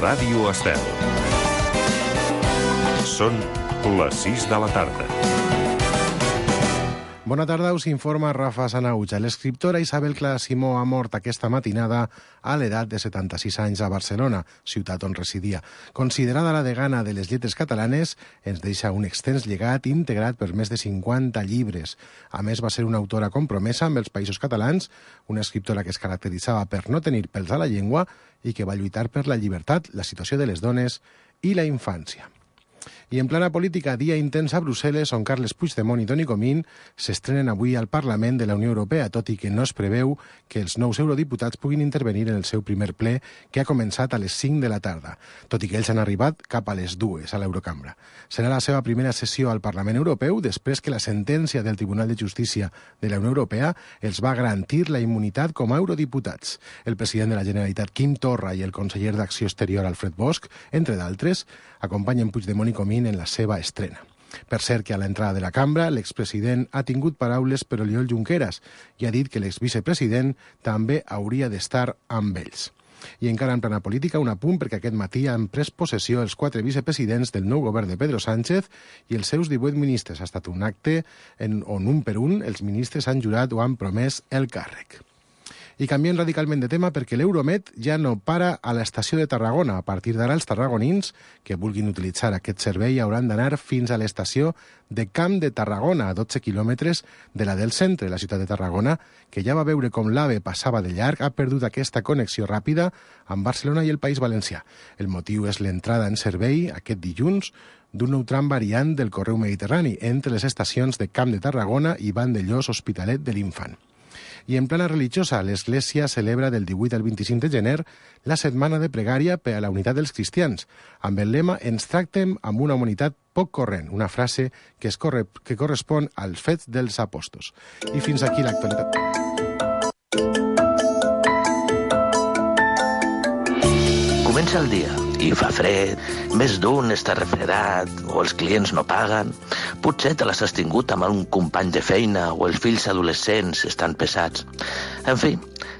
Ràdio Estel. Són les 6 de la tarda. Bona tarda, us informa Rafa Sanauja. L'escriptora Isabel Clara Simó ha mort aquesta matinada a l'edat de 76 anys a Barcelona, ciutat on residia. Considerada la degana de les lletres catalanes, ens deixa un extens llegat integrat per més de 50 llibres. A més, va ser una autora compromesa amb els països catalans, una escriptora que es caracteritzava per no tenir pèls a la llengua i que va lluitar per la llibertat, la situació de les dones i la infància. I en plana política, dia intens a Brussel·les, on Carles Puigdemont i Toni Comín s'estrenen avui al Parlament de la Unió Europea, tot i que no es preveu que els nous eurodiputats puguin intervenir en el seu primer ple, que ha començat a les 5 de la tarda, tot i que ells han arribat cap a les 2 a l'Eurocambra. Serà la seva primera sessió al Parlament Europeu després que la sentència del Tribunal de Justícia de la Unió Europea els va garantir la immunitat com a eurodiputats. El president de la Generalitat, Quim Torra, i el conseller d'Acció Exterior, Alfred Bosch, entre d'altres, acompanyen Puigdemont i Comín en la seva estrena. Per cert que a l'entrada de la cambra l'expresident ha tingut paraules per Oriol Junqueras i ha dit que l'exvicepresident també hauria d'estar amb ells. I encara en plana política, un apunt perquè aquest matí han pres possessió els 4 vicepresidents del nou govern de Pedro Sánchez i els seus 18 ministres. Ha estat un acte on un per un els ministres han jurat o han promès el càrrec. I canviem radicalment de tema perquè l'Euromed ja no para a l'estació de Tarragona. A partir d'ara, els tarragonins que vulguin utilitzar aquest servei hauran d'anar fins a l'estació de Camp de Tarragona, a 12 quilòmetres de la del centre. La ciutat de Tarragona, que ja va veure com l'AVE passava de llarg, ha perdut aquesta connexió ràpida amb Barcelona i el País Valencià. El motiu és l'entrada en servei aquest dilluns d'un nou tram variant del correu mediterrani entre les estacions de Camp de Tarragona i Vandellòs Hospitalet de l'Infant. I en plana religiosa, l'Església celebra del 18 al 25 de gener la setmana de pregària per a la unitat dels cristians, amb el lema «Ens tractem amb una humanitat poc corrent», una frase que correspon als fets dels apòstols. I fins aquí l'actualitat. Comença el dia i fa fred, més d'un està refredat o els clients no paguen. Potser te l'has tingut amb un company de feina o els fills adolescents estan pesats. En fi,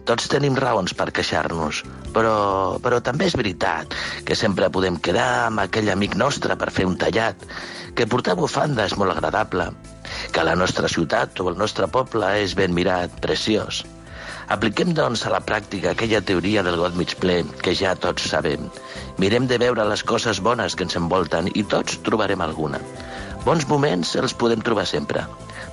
tots tenim raons per queixar-nos, però també és veritat que sempre podem quedar amb aquell amic nostre per fer un tallat, que portar bufanda és molt agradable, que la nostra ciutat o el nostre poble és ben mirat, preciós. Apliquem, doncs, a la pràctica aquella teoria del got mig ple que ja tots sabem. Mirem de veure les coses bones que ens envolten i tots trobarem alguna. Bons moments els podem trobar sempre.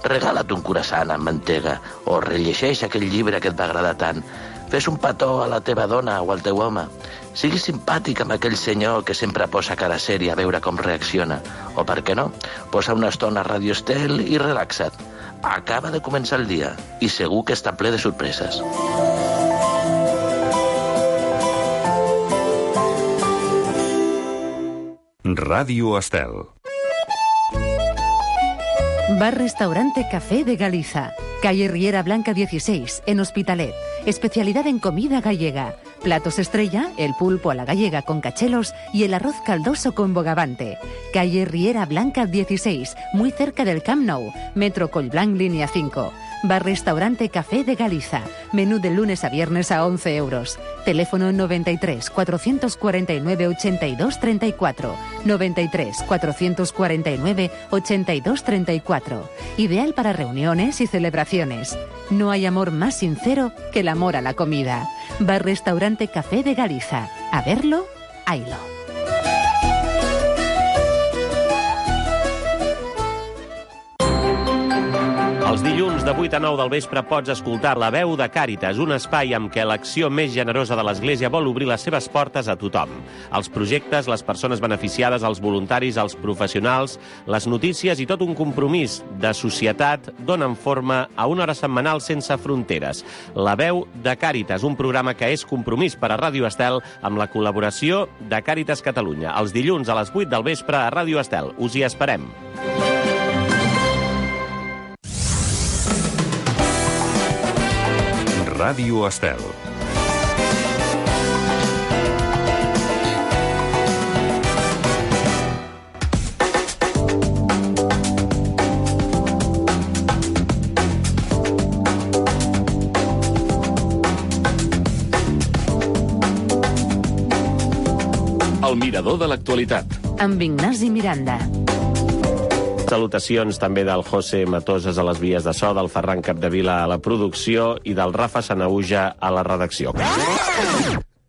Regala't un croissant amb mantega o rellegeix aquell llibre que et va agradar tant. Fes un petó a la teva dona o al teu home. Siguis simpàtic amb aquell senyor que sempre posa cara sèria a veure com reacciona. O, per què no, posa una estona a Ràdio Estel i relaxa't. Acaba de començar el dia i segur que està ple de sorpreses. Ràdio Estel. Bar-restaurante Café de Galiza, calle Riera Blanca 16, en Hospitalet. Especialidad en comida gallega. Platos estrella, el pulpo a la gallega con cachelos y el arroz caldoso con bogavante. Calle Riera Blanca 16, muy cerca del Camp Nou. Metro Collblanc, línea 5. Bar-restaurante Café de Galiza. Menú de lunes a viernes a 11 euros. Teléfono 93 449 82 34. 93 449 82 34. Ideal para reuniones y celebraciones. No hay amor más sincero que el amor a la comida. Bar-restaurante Café de Galiza. A verlo, haylo. Els dilluns de 8 a 9 del vespre pots escoltar La Veu de Càritas, un espai amb què l'acció més generosa de l'Església vol obrir les seves portes a tothom. Els projectes, les persones beneficiades, els voluntaris, els professionals, les notícies i tot un compromís de societat donen forma a una hora setmanal sense fronteres. La Veu de Càritas, un programa que és compromís per a Ràdio Estel amb la col·laboració de Càritas Catalunya. Els dilluns a les 8 del vespre a Ràdio Estel. Us hi esperem. Ràdio Estel. El mirador de l'actualitat. Amb Ignasi Miranda. Salutacions també del José Matoses a les vies de so, del Ferran Capdevila a la producció i del Rafa Sanauja a la redacció.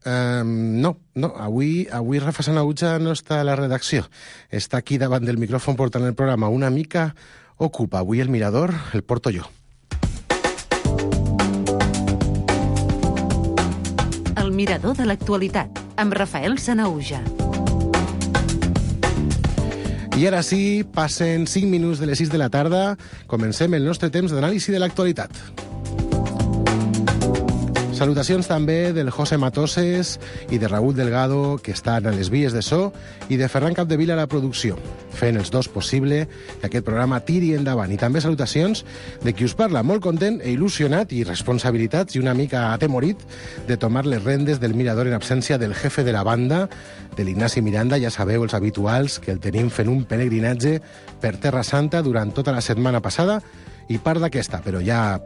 No. Avui Rafa Sanauja no està a la redacció. Està aquí davant del micròfon portant el programa. Una mica ocupa. Avui el mirador el porto jo. El mirador de l'actualitat, amb Rafael Sanauja. I ara sí, passen 5 minuts de les 6 de la tarda. Comencem el nostre temps d'anàlisi de l'actualitat. Salutacions també del José Matoses i de Raúl Delgado, que estan a les vies de so, i de Ferran Capdevila a la producció, fent els dos possible que aquest programa tiri endavant. I també salutacions de qui us parla, molt content e il·lusionat, i responsabilitats i una mica atemorit de tomar les rendes del mirador en absència del jefe de la banda, de l'Ignasi Miranda. Ja sabeu, els habituals, que el tenim fent un pelegrinatge per Terra Santa durant tota la setmana passada i part d'aquesta, però ja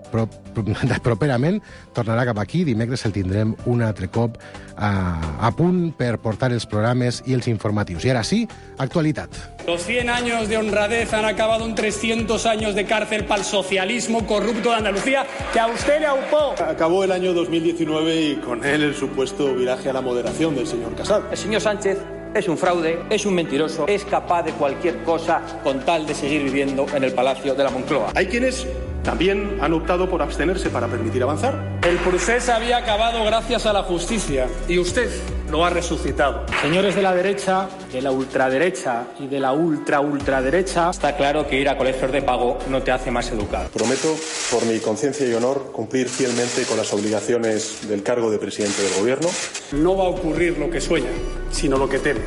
properament tornarà cap aquí. Dimecres el tindrem un altre cop a punt per portar els programes i els informatius. I ara sí, actualitat. Los 100 años de honradez han acabado en 300 años de cárcel para el socialismo corrupto de Andalucía, que a usted le aupó. Acabó el año 2019 y con él el supuesto viraje a la moderación del señor Casado. El señor Sánchez es un fraude, es un mentiroso, es capaz de cualquier cosa con tal de seguir viviendo en el Palacio de la Moncloa. Hay quienes también han optado por abstenerse para permitir avanzar. El procés había acabado gracias a la justicia y usted lo ha resucitado. Señores de la derecha, de la ultraderecha y de la ultraderecha, está claro que ir a colegios de pago no te hace más educado. Prometo, por mi conciencia y honor, cumplir fielmente con las obligaciones del cargo de presidente del Gobierno. No va a ocurrir lo que sueña, sino lo que teme.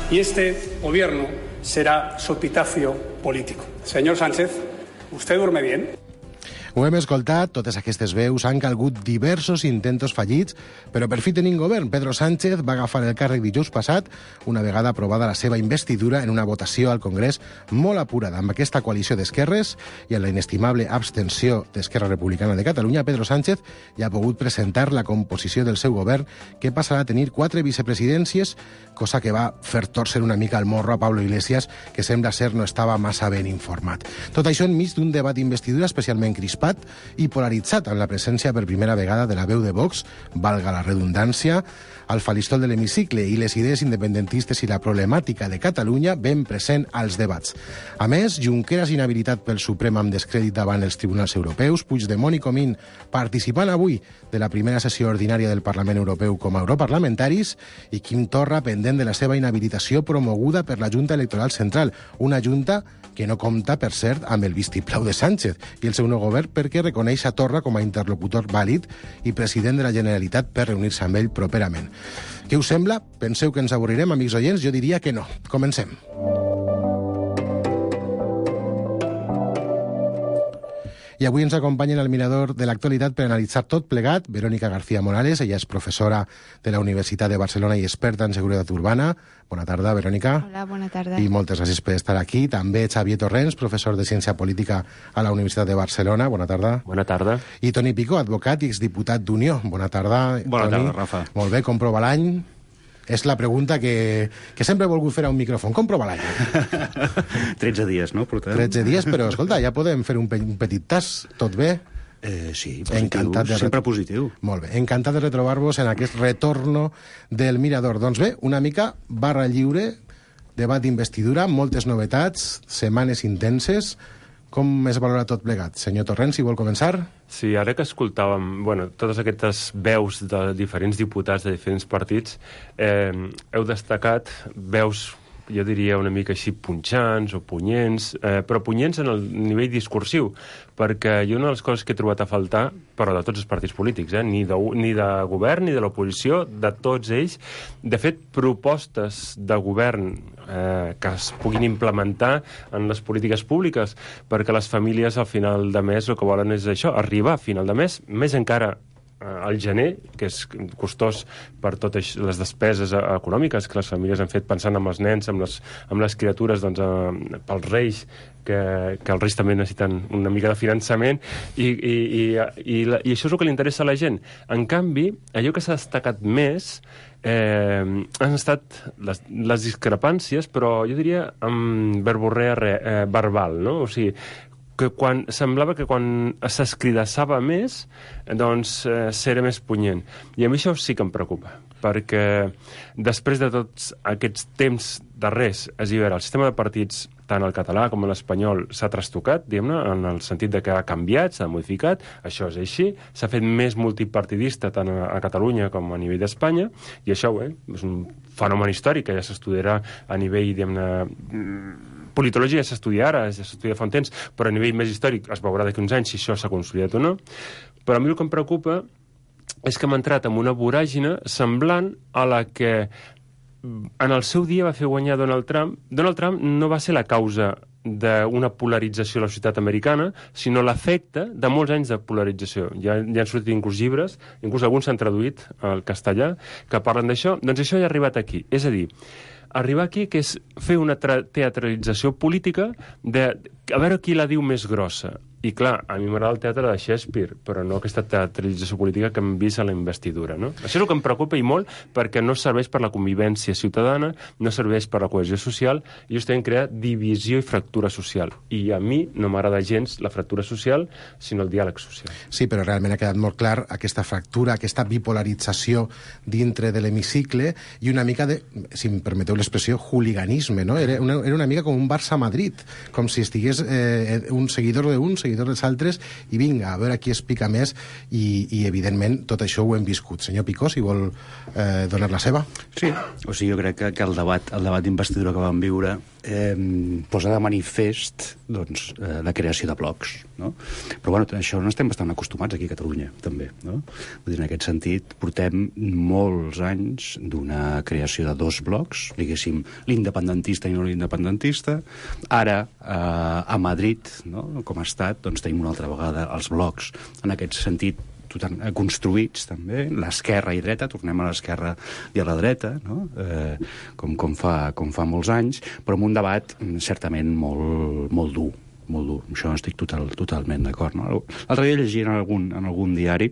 Y este gobierno será su epitafio político. Señor Sánchez, ¿usted duerme bien? Ho hem escoltat, totes aquestes veus han calgut diversos intentos fallits, però per fi tenim govern. Pedro Sánchez va agafar el càrrec dijous passat, una vegada aprovada la seva investidura en una votació al Congrés molt apurada. Amb aquesta coalició d'esquerres i amb la inestimable abstenció d'Esquerra Republicana de Catalunya, Pedro Sánchez ja ha pogut presentar la composició del seu govern, que passarà a tenir 4 vicepresidències, cosa que va fer torcer una mica el morro a Pablo Iglesias, que sembla ser no estava massa ben informat. Tot això enmig d'un debat d'investidura especialment crispat i polaritzat, amb la presència per primera vegada de la veu de Vox, valga la redundància, al faristol de l'hemicicle, i les idees independentistes i la problemàtica de Catalunya ben present als debats. A més, Junqueras inhabilitat pel Suprem amb descrèdit davant els tribunals europeus, Puigdemont i Comín participant avui de la primera sessió ordinària del Parlament Europeu com a europarlamentaris, i Quim Torra pendent de la seva inhabilitació promoguda per la Junta Electoral Central, una junta que no compta, per cert, amb el vistiplau de Sánchez i el seu nou govern, perquè reconeix a Torra com a interlocutor vàlid i president de la Generalitat per reunir-se amb ell properament. Què us sembla? Penseu que ens avorrirem, amics oients? Jo diria que no. Comencem. I avui ens acompanyen al mirador de l'actualitat per analitzar tot plegat Verónica García Morales. Ella és professora de la Universitat de Barcelona i experta en seguretat urbana. Bona tarda, Verónica. Hola, bona tarda. I moltes gràcies per estar aquí. També Xavier Torrents, professor de Ciència Política a la Universitat de Barcelona. Bona tarda. Bona tarda. I Toni Picó, advocat i exdiputat d'Unió. Bona tarda, Bona Toni. tarda, Rafa. Molt bé, com prova l'any? És la pregunta que sempre he volgut fer a un micròfon. Com prova l'any? 13 dies, no? Portem? 13 dies, però, escolta, ja podem fer un petit tas. Tot bé? Sí, positiu, sempre positiu. Molt bé, encantat de retrobar-vos en aquest retorno del Mirador. Doncs bé, una mica barra lliure, debat d'investidura, moltes novetats, setmanes intenses. Com es valora tot plegat? Senyor Torrent, si vol començar. Sí, ara que escoltàvem totes aquestes veus de diferents diputats de diferents partits, heu destacat veus, jo diria una mica així punxants o punyents, però punyents en el nivell discursiu, perquè una de les coses que he trobat a faltar, però de tots els partits polítics, ni de govern ni de l'oposició, de tots ells, de fet, propostes de govern que es puguin implementar en les polítiques públiques, perquè les famílies al final de mes el que volen és això, arribar a final de mes, més encara al gener, que és costós per totes les despeses econòmiques que les famílies han fet pensant en els nens, amb les criatures, doncs, pels reis, que els reis també necessiten una mica de finançament, i això és el que li interessa a la gent. En canvi, allò que s'ha destacat més han estat les discrepàncies, però jo diria amb verborrea verbal, no? O sigui, que semblava que quan s'escridassava més, doncs s'era més punyent. I a mi això sí que em preocupa, perquè després de tots aquests temps darrers, és a dir, el sistema de partits, tant el català com l'espanyol, s'ha trastocat, diguem-ne, en el sentit de que ha canviat, s'ha modificat, això és així, s'ha fet més multipartidista tant a Catalunya com a nivell d'Espanya, i això és un fenomen històric que ja s'estudiarà a nivell, diguem-ne, politologia ja s'estudia ara, ja s'estudia fa un temps, però a nivell més històric es veurà d'aquí uns anys si això s'ha consolidat o no. Però a mi el que em preocupa és que hem entrat en una voràgine semblant a la que en el seu dia va fer guanyar Donald Trump. Donald Trump no va ser la causa d'una polarització a la societat americana, sinó l'efecte de molts anys de polarització. Ja han sortit inclús llibres, inclús alguns s'han traduït al castellà, que parlen d'això. Doncs això ja ha arribat aquí. És a dir, arribar aquí, que és fer una teatralització política de a veure qui la diu més grossa. I clar, a mi m'agrada el teatre de Shakespeare, però no aquesta teatralització política que hem vist a la investidura, no? Això és el que em preocupa i molt, perquè no serveix per la convivència ciutadana, no serveix per la cohesió social, i justament crea divisió i fractura social. I a mi no m'agrada gens la fractura social, sinó el diàleg social. Sí, però realment ha quedat molt clar aquesta fractura, aquesta bipolarització dintre de l'hemicicle i una mica de, si em permeteu l'expressió, hooliganisme, no? Era una mica com un Barça-Madrid, com si estigués un seguidor d'un, seguidor dels altres, i vinga, a veure qui es pica més, i evidentment tot això ho hem viscut. Senyor Picó, si vol donar la seva. Sí, o sigui, jo crec que el debat d'investidura que vam viure posa de manifest doncs, la creació de blocs, no? Però bueno, això no estem bastant acostumats aquí a Catalunya, també, no? Vull dir, en aquest sentit, portem molts anys d'una creació de dos blocs, diguéssim, l'independentista i no l'independentista. Ara, a Madrid, no? Com a estat, doncs tenim una altra vegada els blocs, en aquest sentit, construïts també, l'esquerra i dreta, tornem a l'esquerra i a la dreta, no? com fa molts anys, però amb un debat certament molt dur. Això estic totalment d'acord, no? L'altre dia llegia en algun diari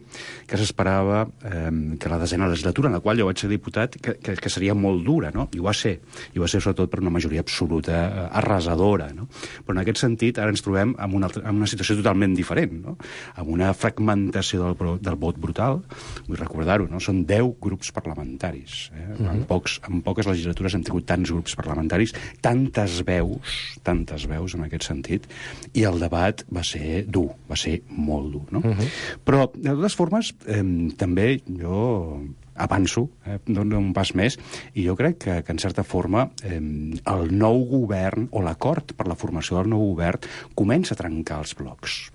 que s'esperava que la desena legislatura, en la qual jo vaig ser diputat, que seria molt dura, no? I ho va ser sobretot per una majoria absoluta arrasadora, no? Però en aquest sentit ara ens trobem en una situació totalment diferent, no? Amb una fragmentació del vot brutal. Vull recordar-ho, no? Són 10 grups parlamentaris. En poques legislatures hem tingut tants grups parlamentaris, tantes veus en aquest sentit, i el debat va ser dur, va ser molt dur, no? Però, de totes formes, també jo avanço, dono un pas més, i jo crec que en certa forma el nou govern, o l'acord per la formació del nou govern, comença a trencar els blocs.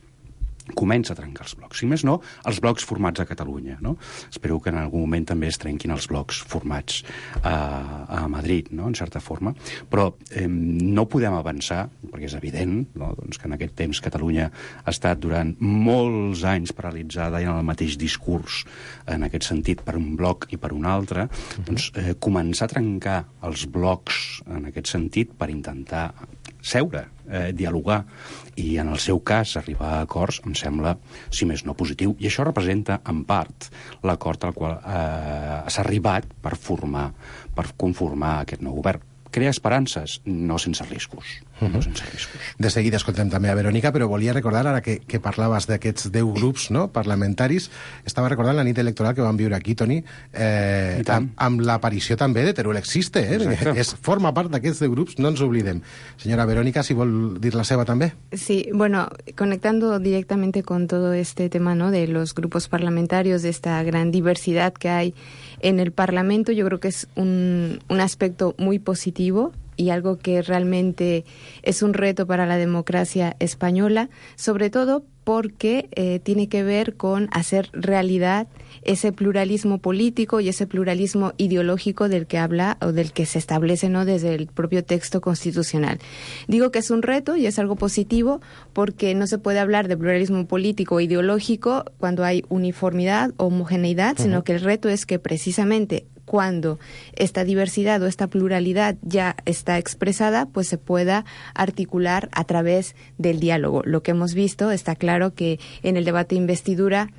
Si més no, els blocs formats a Catalunya, no? Espero que en algun moment també es trenquin els blocs formats a Madrid, no? En certa forma. Però no podem avançar, perquè és evident, no? Doncs que en aquest temps Catalunya ha estat durant molts anys paralitzada i en el mateix discurs, en aquest sentit, per un bloc i per un altre, doncs començar a trencar els blocs en aquest sentit per intentar seure, dialogar, i en el seu cas arribar a acords em sembla, si més no, positiu. I això representa, en part, l'acord al qual s'ha arribat per conformar aquest nou govern. Crea esperances, no sense riscos. De seguida escoltem també a Verònica, però volia recordar, ara que parlaves d'aquests 10 grups, no, parlamentaris, estava recordant la nit electoral que vam viure aquí, Toni, amb l'aparició també de Teruel Existe, forma part d'aquests 10 grups, no ens oblidem. Senyora Verònica, si vol dir la seva també. Sí, bueno, conectando directamente con todo este tema, ¿no?, de los grupos parlamentarios, de esta gran diversidad que hay en el Parlamento, yo creo que es un aspecto muy positivo y algo que realmente es un reto para la democracia española, sobre todo porque tiene que ver con hacer realidad ese pluralismo político y ese pluralismo ideológico del que habla o del que se establece, ¿no?, desde el propio texto constitucional. Digo que es un reto y es algo positivo porque no se puede hablar de pluralismo político o ideológico cuando hay uniformidad o homogeneidad, sino que el reto es que precisamente cuando esta diversidad o esta pluralidad ya está expresada, pues se pueda articular a través del diálogo. Lo que hemos visto, está claro que en el debate de investidura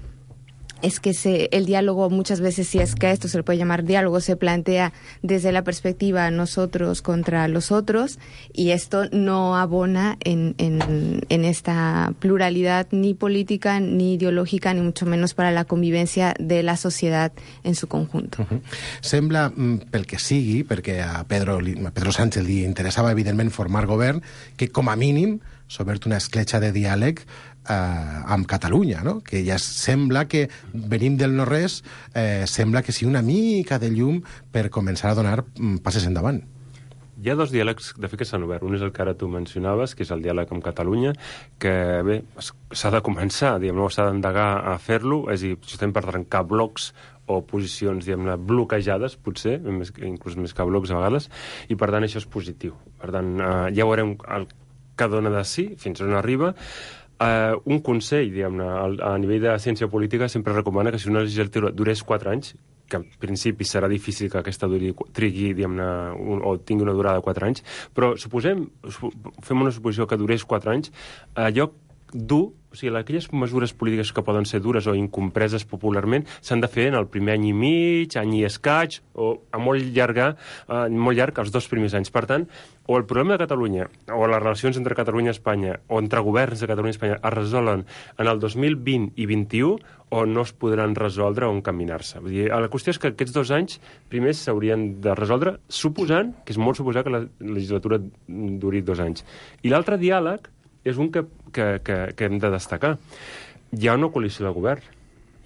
es que el diálogo muchas veces, si es que a esto se le puede llamar diálogo, se plantea desde la perspectiva nosotros contra los otros, y esto no abona en esta pluralidad ni política, ni ideològica, ni mucho menos para la convivencia de la societat en su conjunto. Sembla, pel que sigui, perquè a Pedro Sánchez li interessava evidentment formar govern, que com a mínim s'ha obert una escletxa de diàleg amb Catalunya, no? Que ja sembla que venim del no-res, sembla que sigui una mica de llum per començar a donar passes endavant. Hi ha dos diàlegs, de fet, que s'han obert. Un és el que ara tu mencionaves, que és el diàleg amb Catalunya, que, bé, s'ha de començar, diguem-ne, s'ha d'endegar a fer-lo, és a dir, justament per trencar blocs o posicions, diguem-ne, bloquejades, potser, inclús més que blocs a vegades, i per tant això és positiu. Per tant, ja veurem el que dona de si, fins on arriba. Un consell, diguem-ne, a nivell de ciència política sempre recomana que si una legislatura durés 4 anys, que en principi serà difícil que aquesta trigui, diguem-ne, o tingui una durada de 4 anys, però fem una suposició que durés 4 anys, allò dur, o sigui, aquelles mesures polítiques que poden ser dures o incompreses popularment s'han de fer en el primer any i mig, any i escaig, o a molt llarg els 2 primers anys. Per tant, o el problema de Catalunya, o les relacions entre Catalunya i Espanya, o entre governs de Catalunya i Espanya es resolen en el 2020 i 2021, o no es podran resoldre o encaminar-se. Vull dir, la qüestió és que aquests 2 anys primers s'haurien de resoldre, suposant, que és molt suposar que la legislatura duri 2 anys. I l'altre diàleg és un que hem de destacar. Hi ha una coalició de govern.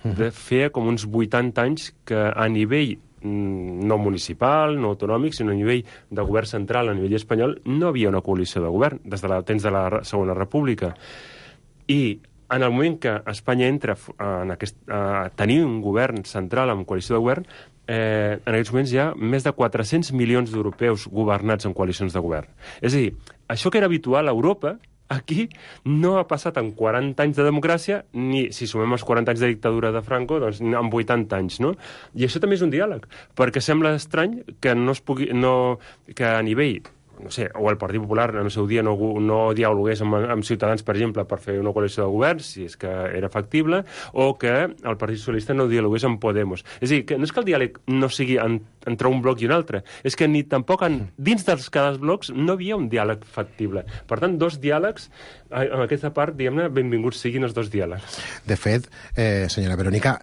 De fer com uns 80 anys que a nivell no municipal, no autonòmic, sinó a nivell de govern central, a nivell espanyol, no havia una coalició de govern des de temps de la Segona República. I en el moment que Espanya entra a tenir un govern central amb coalició de govern, en aquests moments hi ha més de 400 milions d'europeus governats en coalicions de govern. És a dir, això que era habitual a Europa, aquí no ha passat en 40 anys de democràcia, ni si sumem els 40 anys de dictadura de Franco, doncs en 80 anys, no? I això també és un diàleg, perquè sembla estrany que no es pugui, que a nivell, no sé, o el Partit Popular en el seu dia no dialogués amb Ciutadans, per exemple, per fer una coalició de govern, si és que era factible, o que el Partit Socialista no dialogués amb Podemos. És a dir, que no és que el diàleg no sigui entre un bloc i un altre, és que ni tampoc dins dels cada blocs no havia un diàleg factible. Per tant, 2 diàlegs, en aquesta part, diguem-ne, benvinguts siguin els 2 diàlegs. De fet, senyora Verónica,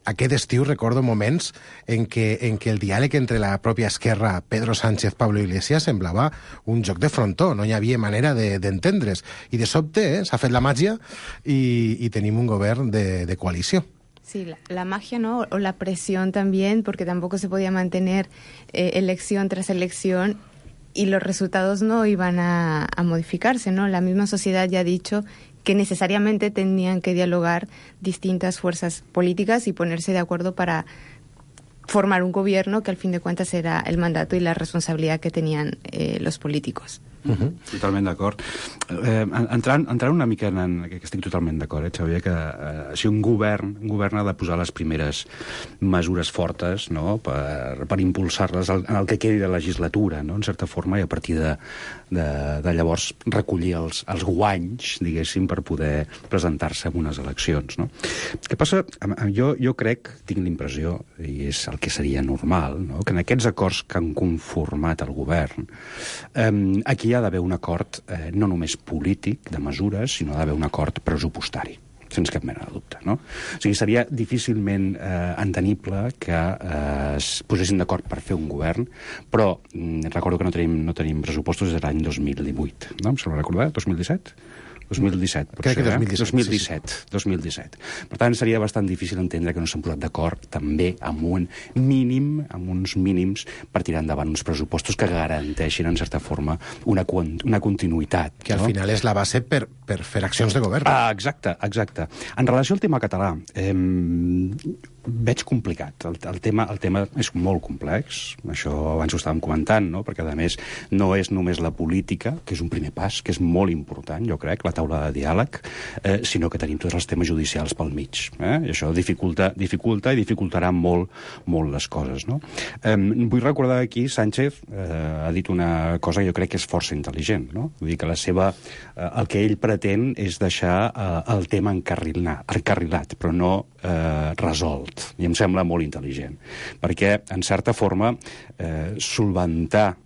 aquest estiu recordo moments en què el diàleg entre la pròpia esquerra, Pedro Sánchez, Pablo Iglesias, semblava un joc de frontó, no hi havia manera d'entendre's. I de sobte s'ha fet la màgia y tenim un govern de coalició. Sí, la magia, ¿no? O la presión también, porque tampoco se podía mantener elección tras elección y los resultados no iban a modificarse, ¿no? La misma sociedad ya ha dicho que necesariamente tenían que dialogar distintas fuerzas políticas y ponerse de acuerdo para formar un gobierno que al fin de cuentas era el mandato y la responsabilidad que tenían los políticos. Totalment d'acord. Entrant una mica en que estic totalment d'acord, Xavier, que si un govern ha de posar les primeres mesures fortes, no?, per impulsar-les en el que quedi de legislatura, no?, en certa forma, i a partir de llavors recollir els guanys, diguéssim, per poder presentar-se en unes eleccions, no? Què passa? Jo crec, tinc l'impressió, i és el que seria normal, no?, que en aquests acords que han conformat el govern, aquí hi ha d'haver un acord no només polític de mesures, sinó d'haver un acord pressupostari, sense cap mena de dubte, no? O sigui, seria difícilment entenible que es posessin d'acord per fer un govern, però recordo que no tenim pressupostos des de l'any 2018, no? Em sembla recordar? 2017? 2017, potser, crec que 2017. Per tant, seria bastant difícil entendre que no s'han posat d'acord també amb uns mínims per tirar endavant uns pressupostos que garanteixin, en certa forma, una continuïtat. Que al final és la base per per fer accions de govern. Exacte. En relació al tema català, veig complicat. El tema és molt complex, això abans ho estàvem comentant, no? Perquè, a més, no és només la política, que és un primer pas, que és molt important, jo crec, la taula de diàleg, sinó que tenim tots els temes judicials pel mig. I això dificulta i dificultarà molt les coses. No? Vull recordar aquí, Sánchez ha dit una cosa que jo crec que és força intel·ligent. No? Vull dir que el que ell pretén és deixar el tema encarrilat, però no resolt. I em sembla molt intel·ligent. Perquè, en certa forma, solventar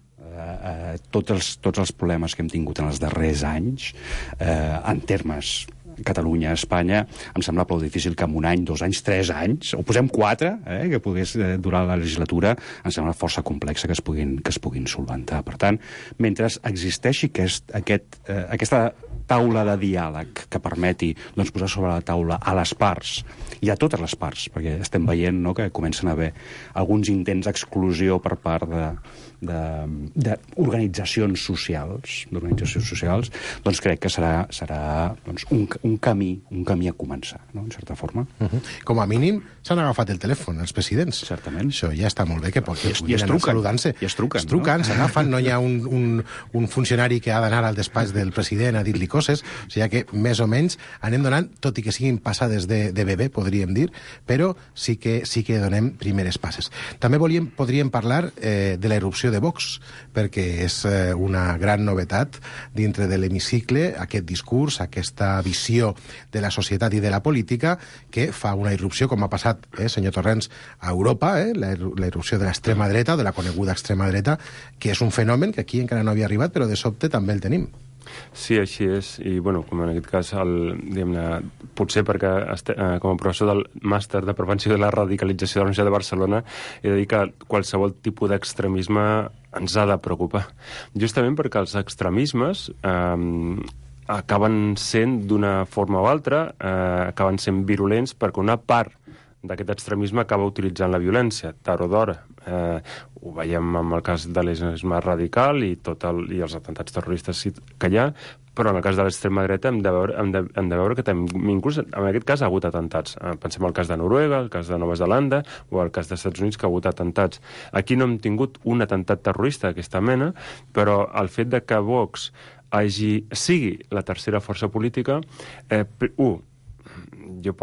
tots els problemes que hem tingut en els darrers anys, en termes Catalunya, Espanya, em sembla prou difícil que en 1 any, 2 anys, 3 anys, o posem 4, que pogués durar la legislatura, em sembla força complexa que es puguin solventar. Per tant, mentre existeixi aquesta taula de diàleg que permeti posar sobre la taula a les parts, i a totes les parts, perquè estem veient que comencen a haver alguns intents d'exclusió per part d'organitzacions socials, doncs crec que serà un camí a començar, no? En certa forma. Com a mínim s'han agafat el telèfon els presidents. Certament. Això ja està molt bé, que I es truquen. saludant-se. I es truquen, s'agafen, no hi ha un funcionari que ha d'anar al despatx del president a dir-li coses, o sigui que més o menys anem donant, tot i que siguin passades de bebè, podríem dir, però sí que donem primeres passes. També podríem parlar de la irrupció de Vox, perquè és una gran novetat dintre de l'hemicicle, aquest discurs, aquesta visió de la societat i de la política que fa una irrupció, com ha passat, senyor Torrents, a Europa, la irrupció de l'extrema dreta, de la coneguda extrema dreta, que és un fenomen que aquí encara no havia arribat, però de sobte també el tenim. Sí, així és, i bueno, com en aquest cas, potser perquè com a professor del màster de prevenció de la radicalització de la Universitat de Barcelona he de dir que qualsevol tipus d'extremisme ens ha de preocupar. Justament perquè els extremismes acaben sent, d'una forma o altra, acaben sent virulents perquè una part d'aquest extremisme acaba utilitzant la violència, tard o d'hora. Ho veiem amb el cas de l'islamisme radical i els atemptats terroristes que hi ha, però en el cas de l'extrema dreta hem de veure que inclús en aquest cas ha hagut atemptats. Pensem al cas de Noruega, el cas de Nova Zelanda o el cas dels Estats Units, que ha hagut atemptats. Aquí no hem tingut un atemptat terrorista d'aquesta mena, però el fet de que Vox sigui la tercera força política, jo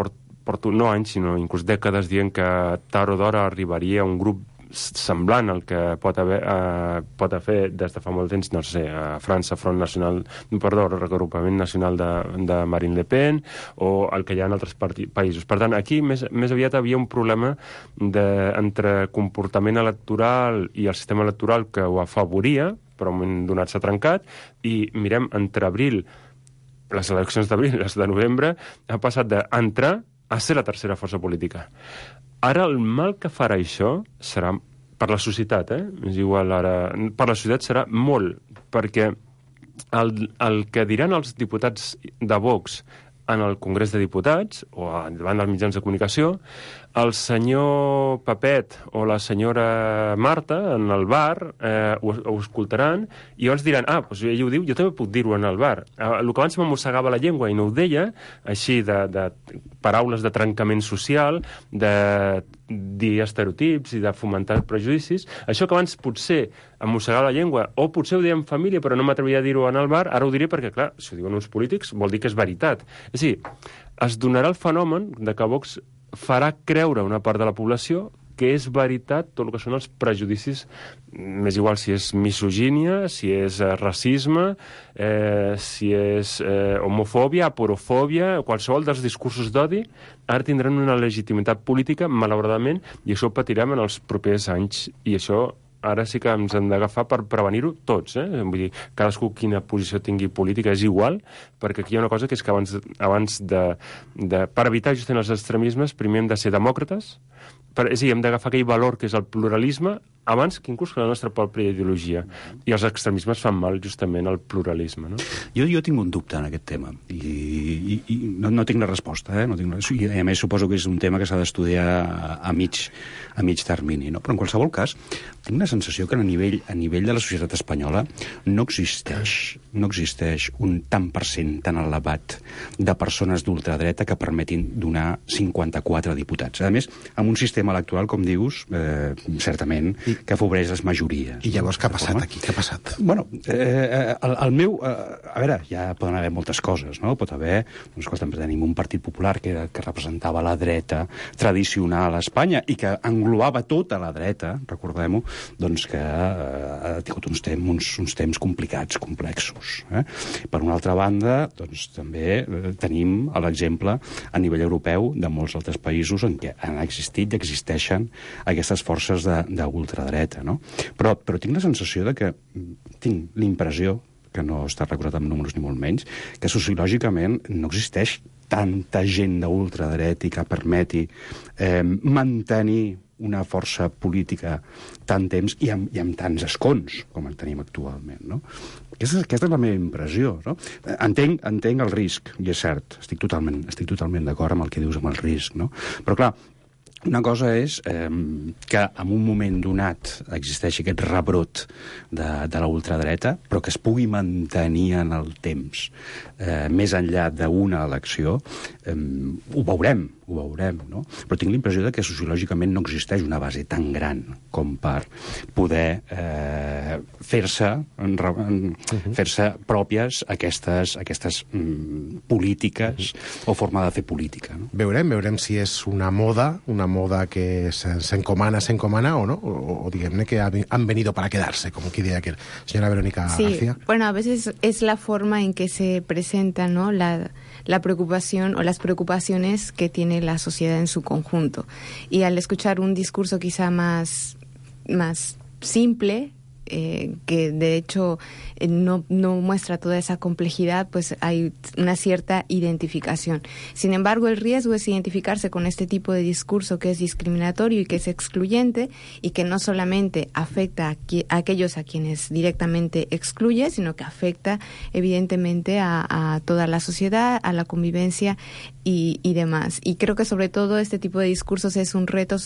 porto no anys, sinó inclús dècades dient que tard o d'hora arribaria un grup semblant al que pot haver des de fa molt temps, no sé, a França, Regrupament Nacional de Marine Le Pen, o el que hi ha en altres països. Per tant, aquí més aviat havia un problema entre comportament electoral i el sistema electoral que ho afavoria, però en un moment donat s'ha trencat, i mirem, entre les eleccions d'abril i les de novembre, ha passat d'entrar a ser la tercera força política. Ara el mal que farà això serà per la societat, és igual ara, per la societat serà molt, perquè el que diran els diputats de Vox en el Congrés de Diputats o davant dels mitjans de comunicació, el senyor Pepet o la senyora Marta en el bar ho escoltaran i llavors diran, doncs ell ho diu, jo també puc dir-ho en el bar. El que abans m'amossegava la llengua i no ho deia, així de paraules de trencament social, de dir estereotips i de fomentar prejudicis, això que abans potser amossegava la llengua, o potser ho deia en família però no m'atrevia a dir-ho en el bar, ara ho diré perquè, clar, si ho diuen uns polítics vol dir que és veritat. És a dir, es donarà el fenomen de que Vox farà creure a una part de la població que és veritat tot el que són els prejudicis, m'és igual si és misogínia, si és racisme, si és homofòbia, aporofòbia, qualsevol dels discursos d'odi, ara tindran una legitimitat política, malauradament, i això ho patirem en els propers anys, i això ara sí que ens hem d'agafar per prevenir-ho tots, Vull dir, cadascú quina posició tingui política és igual, perquè aquí hi ha una cosa que és que abans per evitar justament els extremismes, primer hem de ser demòcrates, és a dir, hem d'agafar aquell valor que és el pluralisme, abans que inclús que la nostra pròpia ideologia. I els extremismes fan mal justament al pluralisme, no? Jo tinc un dubte en aquest tema i no tinc la resposta, no tinc i a més suposo que és un tema que s'ha d'estudiar a mig termini, no? Però en qualsevol cas tinc la sensació que a nivell de la societat espanyola no existeix un tant per cent tan elevat de persones d'ultradreta que permetin donar 54 diputats. A més, amb un sistema electoral, com dius, certament, que afavoreix les majories. I llavors què ha passat aquí? Què ha passat? Bueno, el meu... a veure, ja poden haver moltes coses, no? Pot haver... Doncs, escolta, tenim un partit popular que representava la dreta tradicional a Espanya i que englobava tota la dreta, recordem-ho, doncs que ha tingut uns temps complicats, complexos. Per una altra banda, doncs també tenim l'exemple a nivell europeu de molts altres països en què han existit i existeixen aquestes forces d'ultradreta, no? Però tinc la sensació de que tinc l'impressió, que no està recordat amb números ni molt menys, que sociològicament no existeix tanta gent d'ultradreta que permeti mantenir una força política tant temps i amb tants escons com en tenim actualment, no? Aquesta és la meva impressió, no? Entenc el risc, i és cert, estic totalment d'acord amb el que dius amb el risc, no? Però clar, una cosa és que en un moment donat existeixi aquest rebrot de la ultradreta, però que es pugui mantenir en el temps més enllà d'una elecció, ho veurem, no? Però tinc l'impressió de que sociològicament no existeix una base tan gran com per poder fer-se pròpies aquestes polítiques o forma de fer política, no? Veurem si és una moda que s'encomana o no, o diguem-ne que han venido para quedarse, como que diría aquel. Señora Verónica García. Bueno, a veces es la forma en que se presenta, ¿no?, la preocupación o las preocupaciones que tiene la sociedad en su conjunto. Y al escuchar un discurso quizá más simple, que de hecho no muestra toda esa complejidad, pues hay una cierta identificación. Sin embargo, el riesgo es identificarse con este tipo de discurso que es discriminatorio y que es excluyente y que no solamente afecta a aquellos a quienes directamente excluye, sino que afecta evidentemente a toda la sociedad, a la convivencia y demás. Y creo que sobre todo este tipo de discursos es un reto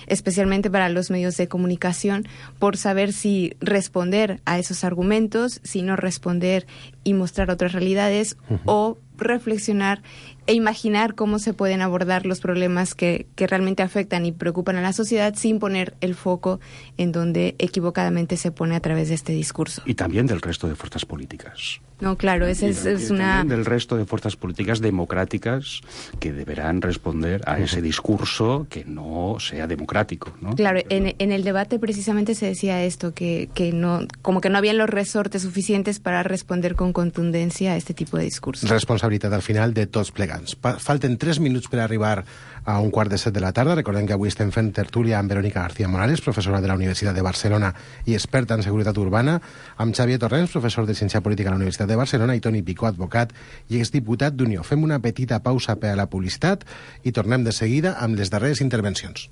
especialmente para los medios de comunicación, por saber si responder a esos argumentos, si no responder y mostrar otras realidades, o reflexionar e imaginar cómo se pueden abordar los problemas que realmente afectan y preocupan a la sociedad sin poner el foco en donde equivocadamente se pone a través de este discurso. Y también del resto de fuerzas políticas. No, claro, es una... También del resto de fuerzas políticas democráticas que deberán responder a ese discurso que no sea democrático, ¿no? Claro, en el debate precisamente se decía esto, que no, como que no habían los resortes suficientes para responder con contundencia a este tipo de discursos. Responsabilitat al final de tots plegats. Falten 3 minuts per arribar a 1:45 de la tarda. Recordem que avui estem fent tertúlia amb Verónica García Morales, professora de la Universitat de Barcelona i experta en seguretat urbana, amb Xavier Torrents, professor de Ciència Política a la Universitat de Barcelona, i Toni Picó, advocat i exdiputat d'Unió. Fem una petita pausa per a la publicitat i tornem de seguida amb les darreres intervencions.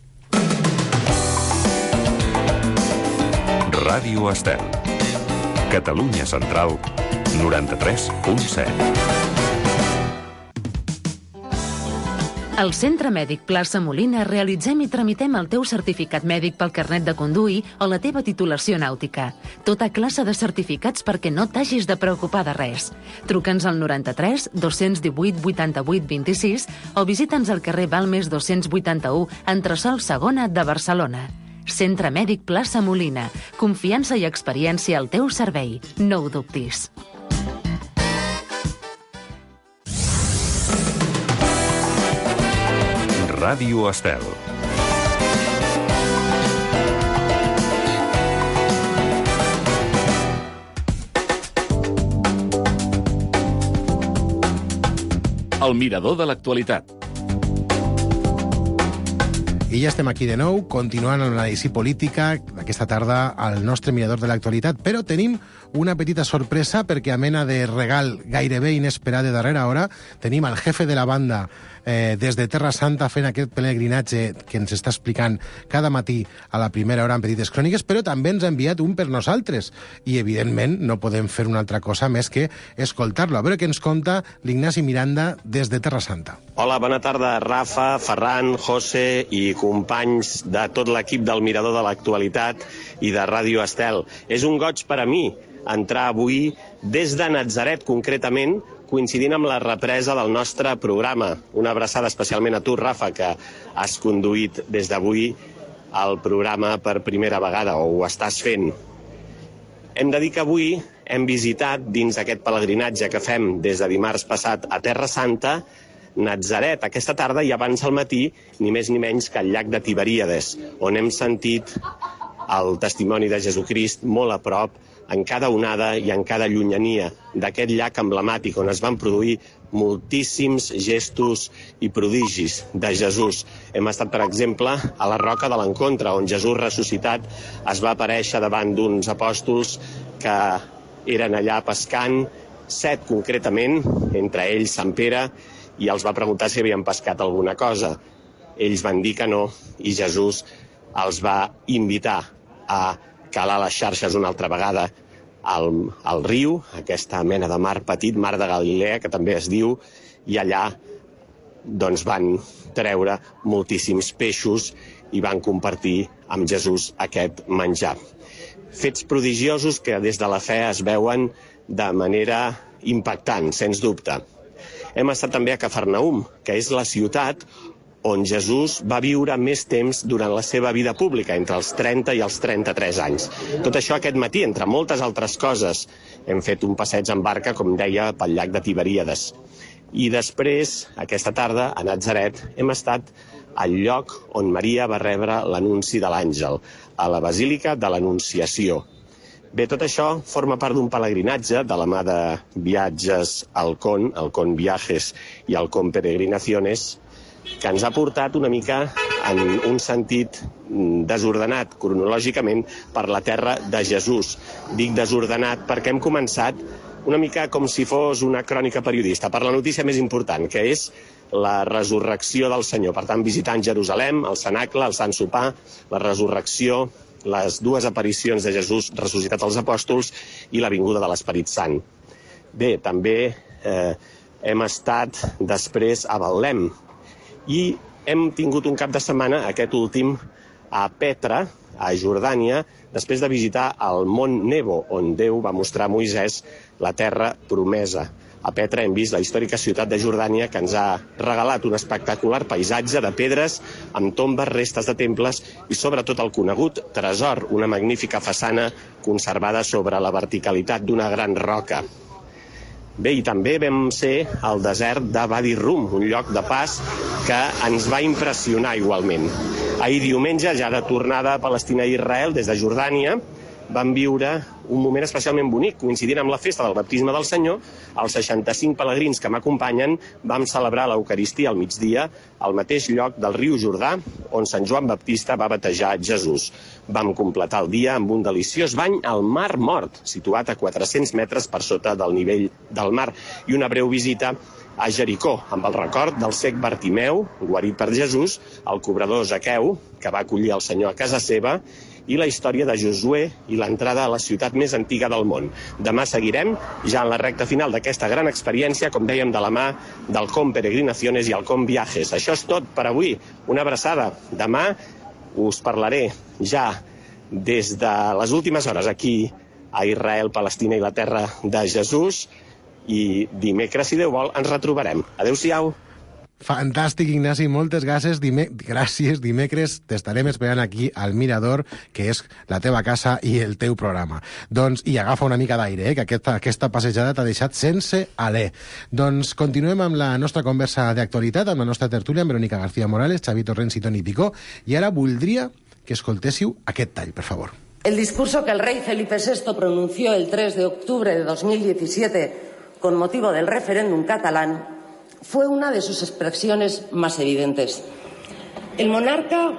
Ràdio Estel. Catalunya Central, 93.7. Al Centre Mèdic Plaça Molina realitzem i tramitem el teu certificat mèdic pel carnet de conduir o la teva titulació nàutica. Tota classe de certificats perquè no t'hagis de preocupar de res. Truca'ns al 93 218 88 26 o visita'ns al carrer Balmes 281, entresòl Segona de Barcelona. Centre Mèdic Plaça Molina. Confiança i experiència al teu servei. No ho dubtis. Ràdio Estel. El mirador de l'actualitat. I ja estem aquí de nou, continuant amb l'anàlisi política d'aquesta tarda al nostre mirador de l'actualitat, però tenim una petita sorpresa perquè a mena de regal gairebé inesperat de darrera hora tenim al jefe de la banda des de Terra Santa fent aquest pelegrinatge que ens està explicant cada matí a la primera hora en Petites Cròniques, però també ens ha enviat un per nosaltres i evidentment no podem fer una altra cosa més que escoltar-lo. A veure què ens conta l'Ignasi Miranda des de Terra Santa. Hola, bona tarda, Rafa, Ferran, José i companys de tot l'equip del Mirador de l'Actualitat i de Ràdio Estel. És un goig per a mi entrar avui des de Natzaret, concretament, coincidint amb la represa del nostre programa. Una abraçada especialment a tu, Rafa, que has conduït des d'avui el programa per primera vegada, o ho estàs fent. Hem de dir que avui hem visitat, dins aquest pelegrinatge que fem des de dimarts passat a Terra Santa, Natzaret, aquesta tarda i abans al matí, ni més ni menys que el llac de Tiberíades, on hem sentit el testimoni de Jesucrist molt a prop, en cada onada i en cada llunyania d'aquest llac emblemàtic on es van produir moltíssims gestos i prodigis de Jesús. Hem estat, per exemple, a la Roca de l'Encontre, on Jesús ressuscitat es va aparèixer davant d'uns apòstols que eren allà pescant, 7 concretament, entre ells Sant Pere, i els va preguntar si havien pescat alguna cosa. Ells van dir que no, i Jesús els va invitar a calar les xarxes una altra vegada al riu, aquesta mena de mar petit, mar de Galilea, que també es diu, i allà doncs, van treure moltíssims peixos i van compartir amb Jesús aquest menjar. Fets prodigiosos que des de la fe es veuen de manera impactant, sens dubte. Hem estat també a Cafarnaum, que és la ciutat on Jesús va viure més temps durant la seva vida pública, entre els 30 i els 33 anys. Tot això aquest matí, entre moltes altres coses, hem fet un passeig en barca, com deia, pel llac de Tiberíades. I després, aquesta tarda, a Natzaret, hem estat al lloc on Maria va rebre l'anunci de l'àngel, a la Basílica de l'Anunciació. Bé, tot això forma part d'un pelegrinatge de la mà de Viatges Alcón, Alcón Viajes i Alcón Peregrinaciones, que ens ha portat una mica en un sentit desordenat cronològicament per la terra de Jesús. Dic desordenat perquè hem començat una mica com si fos una crònica periodista, per la notícia més important, que és la resurrecció del Senyor. Per tant, visitant Jerusalem, el cenacle, el Sant Sopar, la resurrecció, les 2 aparicions de Jesús ressuscitat als apòstols i la vinguda de l'Esperit Sant. Bé, també hem estat després a Betlem, i hem tingut un cap de setmana, aquest últim, a Petra, a Jordània, després de visitar el Mont Nebo, on Déu va mostrar a Moisès la terra promesa. A Petra hem vist la històrica ciutat de Jordània, que ens ha regalat un espectacular paisatge de pedres amb tombes, restes de temples i sobretot el conegut tresor, una magnífica façana conservada sobre la verticalitat d'una gran roca. Bé, i també vam ser al desert de Wadi Rum, un lloc de pas que ens va impressionar igualment. Ahir diumenge, ja de tornada a Palestina i Israel, des de Jordània, vam viure un moment especialment bonic, coincidint amb la festa del baptisme del Senyor. Els 65 pelegrins que m'acompanyen vam celebrar l'Eucaristia al migdia al mateix lloc del riu Jordà on Sant Joan Baptista va batejar Jesús. Vam completar el dia amb un deliciós bany al Mar Mort, situat a 400 metres per sota del nivell del mar, i una breu visita a Jericó, amb el record del cec Bartimeu, guarit per Jesús, el cobrador Zaqueu, que va acollir el Senyor a casa seva, i la història de Josué i l'entrada a la ciutat més antiga del món. Demà seguirem ja en la recta final d'aquesta gran experiència, com dèiem, de la mà del Com Peregrinaciones i el Com Viajes. Això és tot per avui. Una abraçada. Demà us parlaré ja des de les últimes hores aquí a Israel, Palestina i la terra de Jesús, i dimecres, si Déu vol, ens retrobarem. Adéu-siau. Fantàstic, Ignasi, moltes gràcies. Gràcies. Dimecres t'estarem esperant aquí al Mirador, que és la teva casa i el teu programa. Doncs, i agafa una mica d'aire, que aquesta passejada t'ha deixat sense alè. Doncs continuem amb la nostra conversa d'actualitat, amb la nostra tertúlia, amb Verónica García Morales, Xavi Torrents i Toni Picó, i ara voldria que escoltéssiu aquest tall, per favor. El discurso que el rey Felipe VI pronunció el 3 de octubre de 2017 con motivo del referéndum catalán fue una de sus expresiones más evidentes. El monarca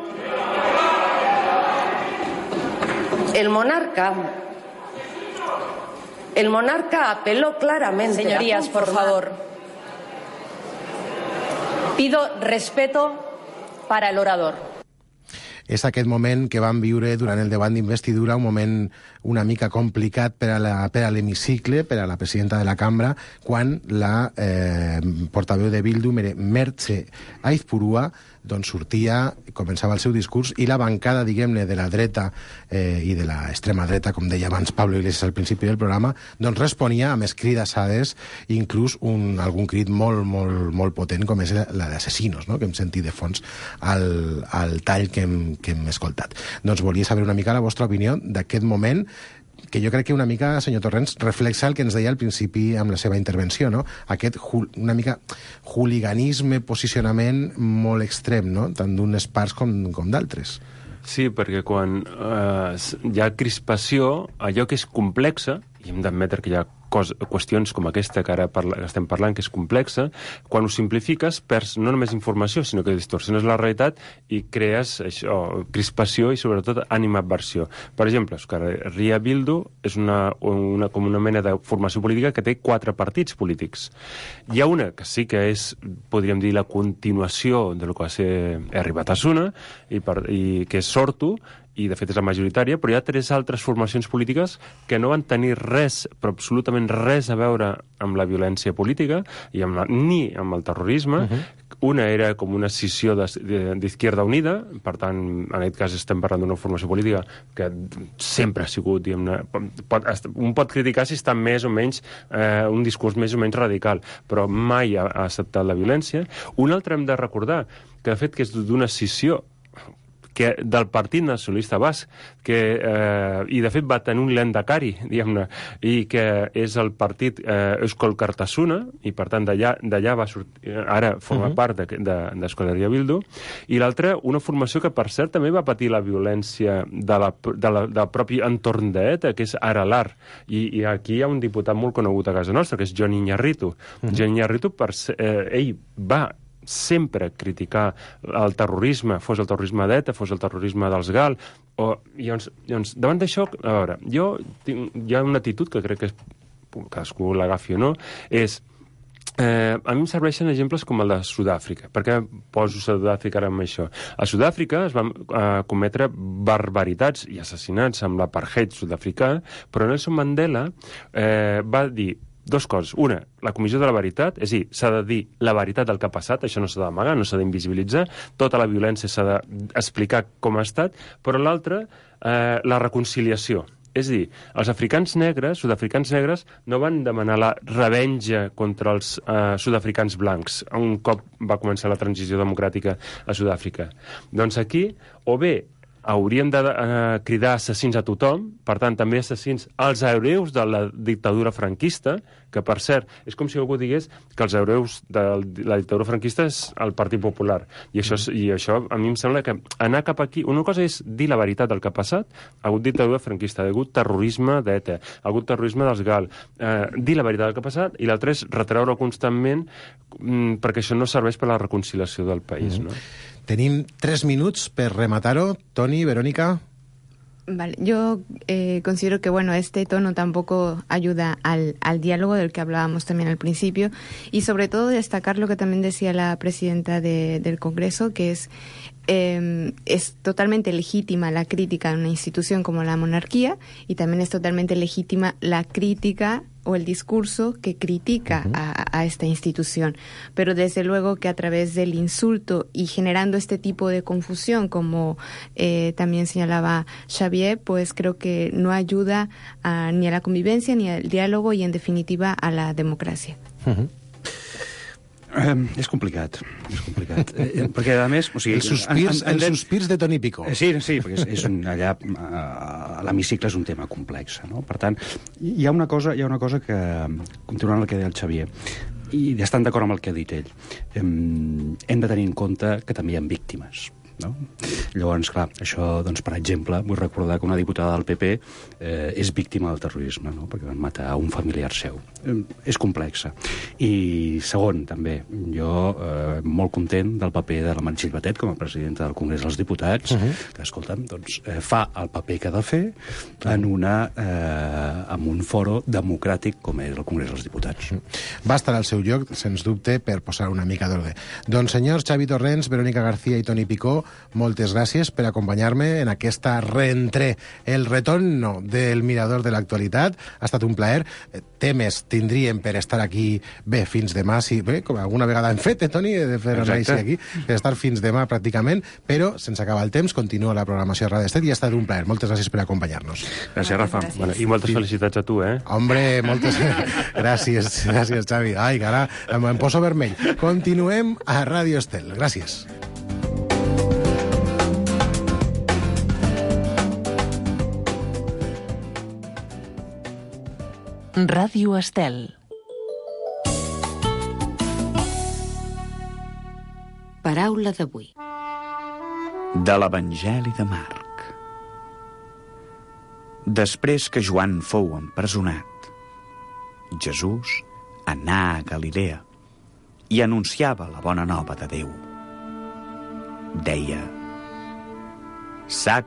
apeló claramente. Señorías, por favor. Pido respeto para el orador. És aquest moment que vam viure durant el debat d'investidura, un moment una mica complicat per a l'hemicicle, per a la presidenta de la cambra, quan la portaveu de Bildu, Mertxe Aizpurua, doncs sortia, començava el seu discurs, i la bancada, diguem-ne, de la dreta i de l'extrema dreta, com deia abans Pablo Iglesias al principi del programa, doncs responia amb escridassades, inclús algun crit molt potent, com és la d'Asesinos, no?, que hem sentit de fons al tall que hem escoltat. Doncs volia saber una mica la vostra opinió d'aquest moment, que jo crec que una mica, senyor Torrents, reflexa el que ens deia al principi amb la seva intervenció, no? Aquest una mica hooliganisme, posicionament molt extrem, no?, tant d'unes parts com d'altres. Sí, perquè quan hi ha crispació, allò que és complexa, i hem d'admetre que hi ha qüestions com aquesta que ara estem parlant, que és complexa, quan ho simplifiques perds no només informació, sinó que distorsiones la realitat i crees això, crispació i sobretot animadversió. Per exemple, Euskal Herria Bildu és com una mena de formació política que té 4 partits polítics. Hi ha una que sí que és, podríem dir, la continuació de lo que va ser Herri Batasuna, i que és Sortu, i de fet és la majoritària, però hi ha 3 altres formacions polítiques que no van tenir res, però absolutament res a veure amb la violència política i ni amb el terrorisme. Una era com una escissió d'Izquierda Unida, per tant, en aquest cas estem parlant d'una formació política que sempre ha sigut, diguem-ne, un pot criticar si està més o menys un discurs més o menys radical, però mai ha acceptat la violència. Un altre hem de recordar que de fet que és d'una escissió del Partit Nacionalista Basc, i de fet va tenir un lehendakari, diguem-ne, i que és el partit Euskal Kartasuna, i per tant d'allà va sortir, ara forma part d'Euskal Herria Bildu, i l'altra, una formació que per cert també va patir la violència del propi entorn d'ETA, que és Aralar, i aquí hi ha un diputat molt conegut a casa nostra, que és Jon Iñarritu. Jon Iñarritu, ell va sempre criticar el terrorisme, fos el terrorisme d'ETA, fos el terrorisme dels GAL, llavors, davant d'això, a veure, hi ha una actitud que crec que cadascú l'agafi o no, és a mi em serveixen exemples com el de Sud-àfrica. Per què poso Sud-àfrica ara amb això? A Sud-àfrica es van cometre barbaritats i assassinats amb l'apartheid sud-africà, però Nelson Mandela va dir 2 coses. Una, la comissió de la veritat, és a dir, s'ha de dir la veritat del que ha passat, això no s'ha d'amagar, no s'ha d'invisibilitzar, tota la violència s'ha d'explicar com ha estat, però l'altra, la reconciliació. És a dir, els africans negres, sud-africans negres, no van demanar la revenja contra els sud-africans blancs un cop va començar la transició democràtica a Sud-àfrica. Doncs aquí, o bé hauríem de cridar assassins a tothom, per tant, també assassins als hereus de la dictadura franquista, que, per cert, és com si algú digués que els hereus de la dictadura franquista és el Partit Popular. I això a mi em sembla que anar cap aquí... Una cosa és dir la veritat del que ha passat, ha hagut dictadura franquista, ha hagut terrorisme d'ETA, ha hagut terrorisme dels GAL, dir la veritat del que ha passat, i l'altre és retreure constantment perquè això no serveix per a la reconciliació del país, no? Tenim 3 minuts per rematar-ho. Toni, Verónica. Vale, yo considero que este tono tampoco ayuda al diálogo del que hablábamos también al principio, y sobre todo destacar lo que también decía la presidenta del Congreso, que es totalmente legítima la crítica a una institución como la monarquía, y también es totalmente legítima la crítica o el discurso que critica a esta institución. Pero desde luego que a través del insulto y generando este tipo de confusión, como también señalaba Xavier, pues creo que no ayuda ni a la convivencia, ni al diálogo y, en definitiva, a la democràcia. És complicat, perquè a més... O sigui, els sospirs de Toni Picó. Sí, perquè allà a l'hemicicle és un tema complex, no? Per tant, hi ha una cosa que, continuant el que deia el Xavier, i estan d'acord amb el que ha dit ell, hem de tenir en compte que també hi ha víctimes. no? Llavors, clar, això, doncs, per exemple, vull recordar que una diputada del PP és víctima del terrorisme, no? Perquè van matar un familiar seu. És complexa. I segon, també, jo molt content del paper de la Meritxell Batet com a presidenta del Congrés dels Diputats, que, escolta'm, doncs, fa el paper que ha de fer en un foro democràtic com és el Congrés dels Diputats. Va estar al seu lloc, sens dubte, per posar una mica d'ordre. Doncs senyors Xavi Torrents, Verónica García i Toni Picó, moltes gràcies per acompanyar-me en aquesta reentré, el retorno del Mirador de l'actualitat. Ha estat un plaer. Temes tindríem per estar aquí bé fins demà, si, bé, com alguna vegada hem fet, Toni, de fer anàlisi aquí, per estar fins demà pràcticament, però sense acabar el temps, continua la programació de Ràdio Estel i ha estat un plaer. Moltes gràcies per acompanyar-nos. Gràcies, Rafa. Bueno, i moltes felicitats a tu, Hombre, moltes gràcies, Xavi. Ai, cara, em poso vermell. Continuem a Ràdio Estel. Gràcies. Ràdio Estel. Paraula d'avui. De l'Evangeli de Marc. Després que Joan fou empresonat, Jesús anà a Galilea i anunciava la bona nova de Déu. Deia: s'ha